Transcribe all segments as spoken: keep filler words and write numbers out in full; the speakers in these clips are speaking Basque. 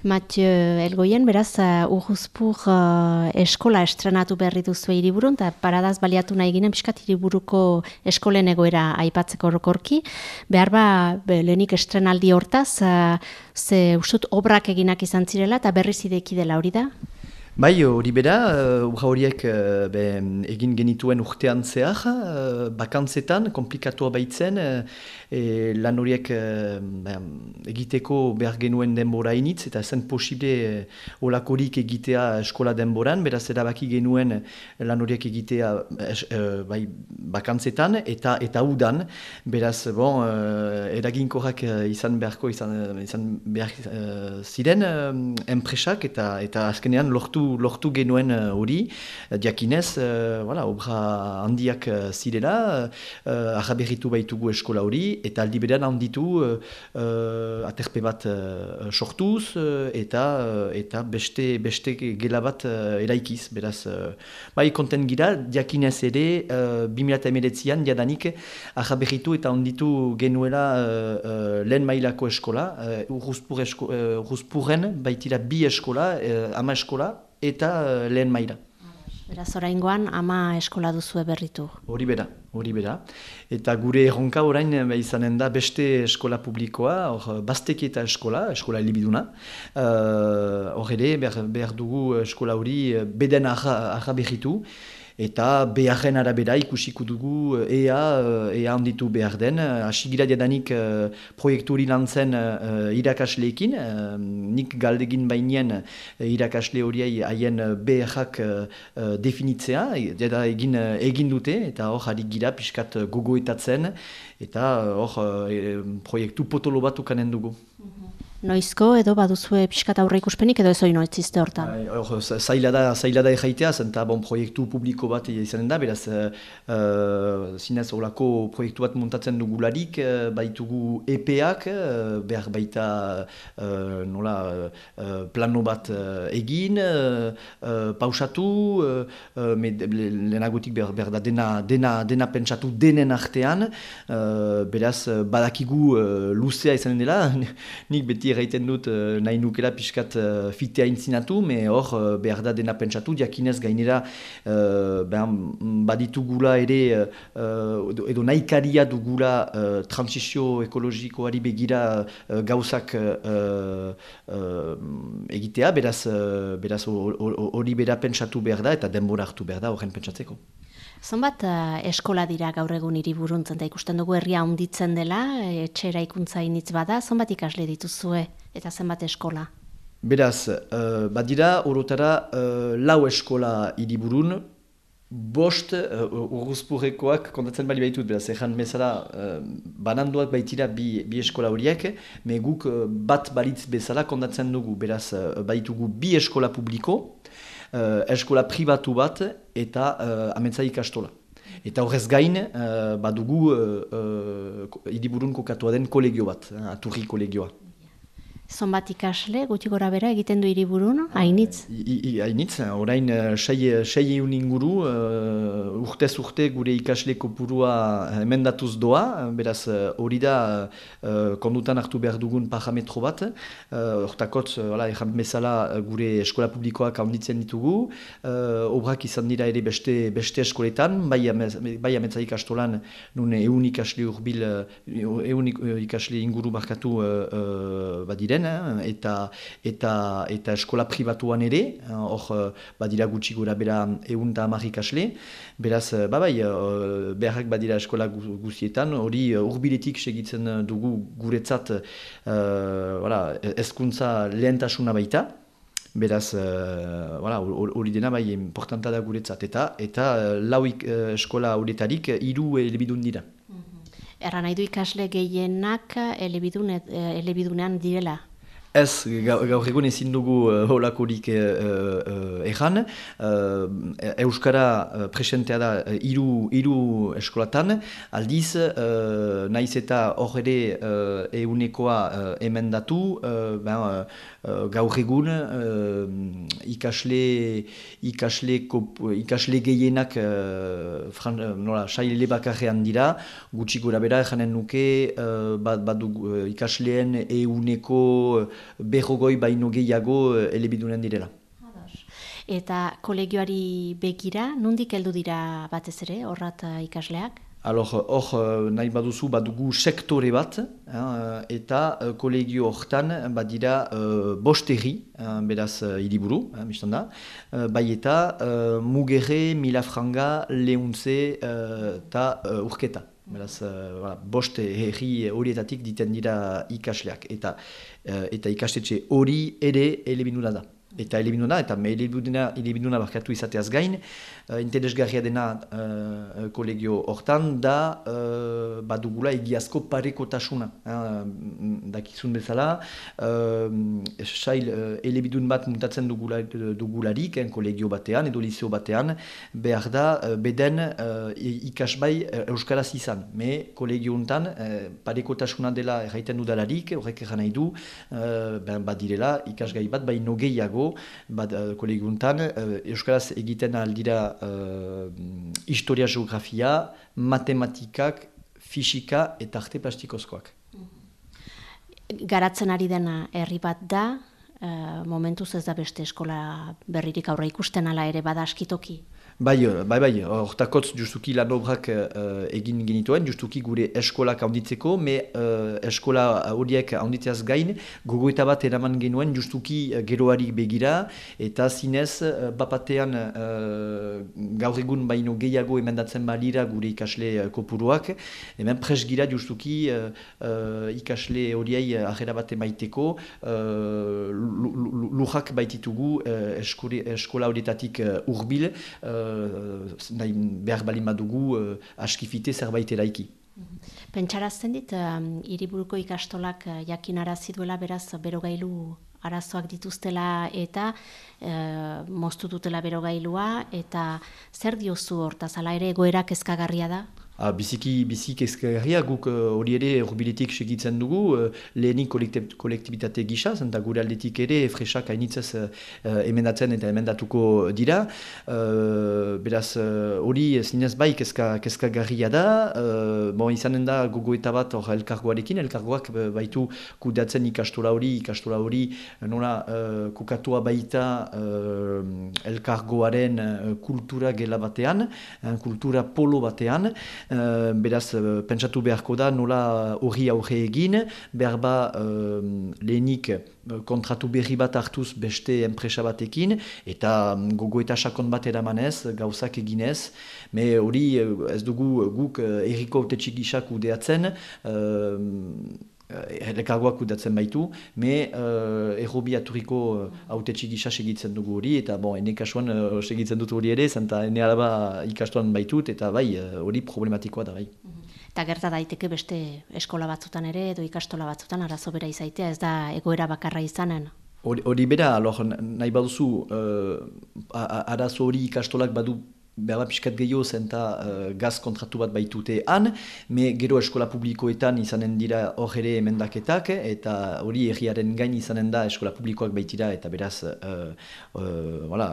Mathieu Elgoien, beraz, uh, Urruzpur uh, eskola estrenatu berri duzu hiriburun, eta paradaz baliatu nahi ginen pixkat hiriburuko eskolen egoera aipatzeko orokorki. Behar ba, be, lehenik estrenaldi hortaz, uh, ze ustut obrak eginak izan zirela, eta berriz ideki dela hori da? Bai, hori bera, obra horiek uh, be, egin genituen urtean zehar, uh, bakantzetan, komplikatua baitzen, uh, e, lan horiek uh, be, egiteko behar genuen denbora initz, eta zen posible uh, olakorik egitea eskola denboran, beraz erabaki genuen lan horiek egitea es, uh, bai, bakantzetan, eta eta udan, beraz, bon, uh, eraginkorrak uh, izan beharko, izan, izan behar uh, ziren uh, enpresak, eta, eta azkenean lortu lortu genuen hori, uh, diakinez, uh, voilà, obra handiak uh, zirela, uh, ahaberritu baitugu eskola hori, eta aldi berean handitu uh, uh, aterpe bat uh, sortuz, uh, eta, uh, eta beste, beste gela bat uh, eraikiz, beraz, uh, bai konten gira, diakinez ere, uh, bi mila hemeretzian diadanik ahaberritu eta handitu genuela uh, uh, lehen mailako eskola, uh, Urruzpur esko, uh, Urruzpurren baitira bi eskola, uh, ama eskola, eta uh, lehen maila. Beraz, oraingoan ama eskola duzue berritu. Hori bera, hori bera. Eta gure erronka orain izanen da beste eskola publikoa, hor Baztekieta eskola, eskola elebiduna. Hor uh, ere, behar, behar dugu eskola hori beden arra berritu. Eta beharren arabera ikusiko dugu ea, ea handitu behar den. Asigira diadanik uh, proiektu hori lantzen uh, irakasleekin. Uh, nik galdegin bainien uh, irakasle horiei haien beharrak uh, uh, definitzea. Eta egin, uh, egin dute, eta hor harik gira pixkat gogoetatzen. Eta hor uh, proiektu potolo bat ukanen dugu. Noizko edo baduzue pixkat aurre ikuspenik edo ez hori noitzizte hortan? Hor, zaila da, zaila da erraitea, zenta bon, proiektu publiko bat izanen da, beraz, uh, zinez horako proiektu bat montatzen dugularik, uh, baitugu E P-ak, uh, behar baita uh, nola, uh, plano bat uh, egin, uh, uh, pausatu, uh, lehenagotik behar, behar da dena, dena, dena pentsatu denen artean, uh, beraz, badakigu uh, luzea izanen dela, nik beti erraiten dut uh, nahi nukela pixkat uh, fitea intzinatu, me hor uh, behar da dena pentsatu, diakinez gainera uh, baditugula ere, uh, edo nahikaria dugula uh, transizio ekologikoari begira uh, gauzak uh, uh, egitea, beraz uh, beraz hori bera pentsatu behar da, eta denbora hartu behar da horren pentsatzeko. Zonbat uh, eskola dira gaur egun hiriburuntzen, da ikusten dugu herria handitzen dela, etxe eraikuntza initz bada, zonbat ikasle dituzue eta zenbat eskola? Beraz, uh, badira orotara uh, lau eskola hiriburun, bost uh, Urruzpurrekoak kontatzen bali baitut, beraz, ezan bezala uh, bananduak baitira bi, bi eskola horiek, me guk uh, bat balitz bezala kontatzen dugu, beraz, uh, baitugu bi eskola publiko, Uh, eskola pribatu bat eta uh, amentza ikastola. Eta horrez gain, uh, badugu uh, uh, hiriburun kokatua den kolegio bat, uh, Aturri kolegioa. Zonbat ikasle, guti gora bera egiten du hiriburun, hainitz? Hainitz, orain sei eun inguru, uh, urtez urte gure ikasle kopurua emendatuz doa, beraz hori da uh, kondutan hartu behar dugun parametro bat, hortakotz, uh, erran bezala gure eskola publikoak handitzen ditugu, uh, obrak izan dira ere beste, beste eskoletan, bai, bai ametza ikastolan nun eun ikasle urbil, eun ikasle inguru markatu uh, uh, badire, eta eta eta eskola pribatuan ere, hor badira gutxi gora bera ehun eta hamar ikasle, beraz babai beharrak badira eskola guztietan, hori hurbiletik segitzen dugu guretzat uh, hezkuntza lehentasuna baita. Beraz, hori uh, dena bai importanta da guretzat, eta eta lau uh, eskola horietarik hiru elebidun dira. Erra nahi du ikasle gehienak elebidun, elebidunean direla? Ez, gaur egun ezin dugu uh, holakorik uh, uh, erran. Uh, Euskara uh, presentea da hiru hiru eskolatan, aldiz, uh, naiz eta hor ere uh, eunekoa uh, emendatu, uh, ben, uh, gaur egun uh, ikasle, ikasle, kop, ikasle gehienak uh, fran, nola, saile bakarrean dira, gutxi gora bera erranen nuke, uh, bat, bat du, uh, ikasleen euneko berrogoi baino gehiago uh, elebidunen direla. Eta kolegioari begira, nondik heldu dira batez ere, horrat ikasleak? Alor, hor nahi baduzu badugu sektore bat, eh, eta uh, kolegio hortan badira uh, bost erri, uh, beraz uh, hiriburu, uh, biztan da, uh, bai eta uh, Mugerre, Milafranga, Lehuntze eta uh, uh, Urketa. Beraz, uh, voilà, bost herri horietatik diten dira ikasleak, eta, uh, eta ikastetxe hori ere elebiduna da. Eta elebiduna, eta elebiduna, elebiduna barkatu izateaz gain, uh, interesgarria dena uh, kolegio hortan da uh, badugula egiazko parekotasuna. Uh, dakizun bezala, uh, sail uh, elebidun bat muntatzen dugula, dugularik, en kolegio batean edo liceo batean, behar da uh, beden uh, ikasbai uh, euskaraz izan. Me kolegio hontan uh, parekotasuna dela erraiten dudalarik, horrek erran nahi du, uh, ben, badirela ikasgai bat baino gehiago, Bad, uh, kolegiuntan, uh, euskaraz egiten aldira uh, historia, geografia, matematikak, fisika eta arte plastikozkoak. Garatzen ari dena herri bat da, uh, momentuz ez da beste eskola berririk aurre ikusten ala ere bada askitoki. Bai, bai, bai, hortakotz justuki lan obrak uh, egin genituen, justuki gure eskolak handitzeko, me uh, eskola horiek handitzeaz gain, gogoeta bat eraman genuen justuki uh, geroarik begira, eta zinez, uh, bapatean uh, gaur egun baino gehiago emendatzen balira gure ikasle uh, kopuruak, hemen presgira justuki uh, uh, ikasle horiei ahera bat emaiteko, uh, lujak baititugu uh, eskole, eskola horietatik uh, urbil, uh, nahi behar balin badugu uh, askifite zerbait eraiki. Pentsarazten dit, um, hiriburuko ikastolak uh, jakinarazi duela beraz berogailu arazoak dituztela eta uh, moztu dutela berogailua, eta zer diozu hortaz, ala ere egoera kezkagarria da? Ah, biziki, biziki ezkerria, guk hori uh, ere urbiletik segitzen dugu, uh, lehenik kolektibitate gisa, zenta gure aldetik ere fresak hainitzez uh, emendatzen eta emendatuko dira. Uh, beraz, hori uh, zinez bai kezka, kezkagarria da, uh, bon, izanen da gogoeta bat hor elkargoarekin, elkargoak baitu kudeatzen ikastola hori, ikastola hori nola uh, kokatua baita uh, elkargoaren uh, kultura gela batean, uh, kultura polo batean. Uh, beraz, uh, pentsatu beharko da nola horri aurre egin, behar ba uh, lehenik uh, kontratu berri bat hartuz beste enpresa batekin, eta um, gogo eta sakon bat eramanez, gauzak eginez, me hori uh, ez dugu guk uh, erriko autetxik gisak udeatzen, uh, Elkargoak kudatzen baitu, me uh, errobi aturiko autetxik gisa segitzen dugu hori, eta bon, ene kasuan uh, segitzen dut hori ere, zenta ene alaba ikastuan baitut, eta bai, hori uh, problematikoa da bai. Eta gerta daiteke beste eskola batzutan ere, edo ikastola batzutan arazo bera izaitea, ez da egoera bakarra izanen? Hori bera, alor, nahi baduzu, uh, arazo hori ikastolak badu behar pixkat gehiago zenta uh, gaz kontratu bat baitute han, me gero eskola publikoetan izanen dira hor ere emendaketak, eta hori erriaren gain izanen da eskola publikoak baitira, eta beraz uh, uh, voilà,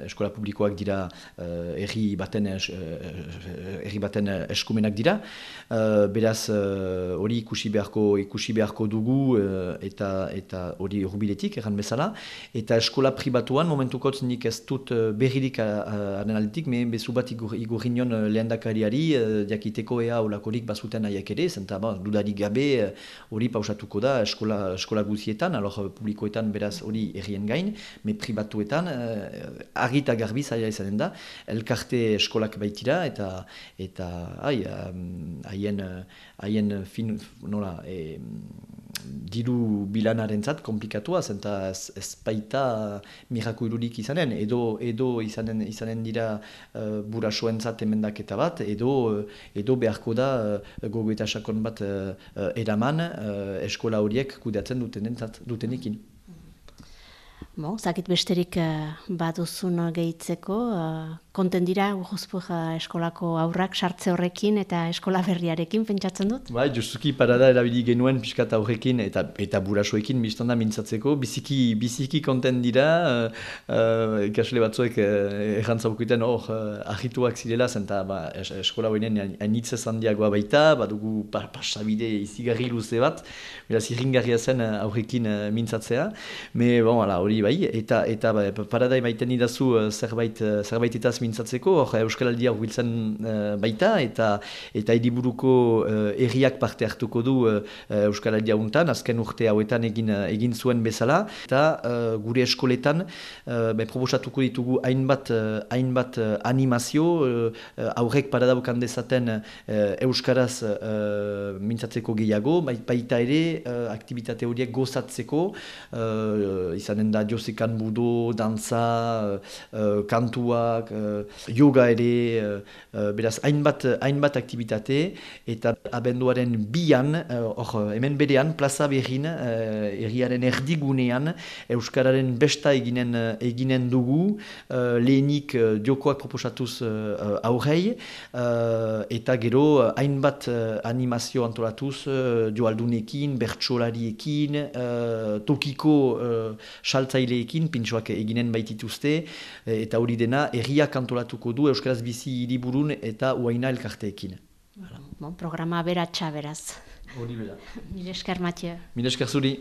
eskola publikoak dira uh, erri baten, es, uh, erri baten eskumenak dira, uh, beraz hori uh, ikusi beharko ikusi beharko dugu uh, eta eta hori urbiletik erran bezala, eta eskola pribatuan momentukotz nik ez dut uh, berririk aren aldetik, me bezu bat igurriñon lehendakariari jakiteko ea olakorik bazuten nahiak ere, zenta ba, dudarik gabe hori pausatuko da eskola, eskola guzietan, alor publikoetan beraz hori errien gain, me pribatuetan argi eta garbi zaila izanen da, elkarte eskolak baitira, eta eta haien haien fin, nola, e, diru bilanarentzat komplikatua, zenta ez, ez baita mirakuilurik izanen, edo, edo izanen, izanen dira uh, burasoentzat emendaketa bat, edo, edo beharko da uh, gogoeta sakon bat uh, eraman uh, eskola horiek kudeatzen dutenentzat, dutenekin. Bo, zakit besterik uh, baduzun gehitzeko, uh, konten dira Urruzpur uh, eskolako aurrak sartze horrekin eta eskola berriarekin pentsatzen dut? Bai, justuki parada erabili genuen pixkat aurrekin eta eta burasoekin biztanda mintzatzeko, biziki, biziki konten dira, uh, uh, ikasle batzuek uh, errantzaukuten hor uh, ahituak zirela, zenta ba, es, eskola hoinen hainitzez handiagoa baita, badugu pa, pasabide izigarri luze bat, beraz irringarria zen uh, aurrekin uh, mintzatzea, me bon, ala, hori bai, eta eta ba, parada emaiten idazu uh, zerbait uh, zerbaitetaz mintzatzeko, hor Euskaraldia hurbiltzen uh, baita, eta eta hiriburuko uh, herriak parte hartuko du uh, Euskaraldia untan, azken urte hauetan egin, uh, egin zuen bezala, eta uh, gure eskoletan uh, be, proposatuko ditugu hainbat, uh, hainbat uh, animazio, uh, aurrek parada bukan dezaten uh, Euskaraz uh, mintzatzeko gehiago, baita ere uh, aktibitate horiek gozatzeko, uh, izanen da josekan budo, dantza, uh, kantuak, uh, yoga ere, uh, beraz hainbat, hainbat aktibitate, eta abenduaren bian, hor uh, hemen berean, plaza berrin, uh, erriaren erdigunean, Euskararen besta eginen, eginen dugu, uh, lehenik uh, diokoak proposatuz uh, aurrei, uh, eta gero hainbat uh, animazio antolatuz, uh, joaldunekin, bertsolariekin, uh, tokiko uh, saltzaileekin, pintxoak eginen baitituzte, eta hori dena herriak antolatuko du Euskaraz bizi hiriburun eta uaina elkarteekin. Bon, programa beratxa beraz. Hori bera. Mil esker, Mathieu. Mil esker zuri.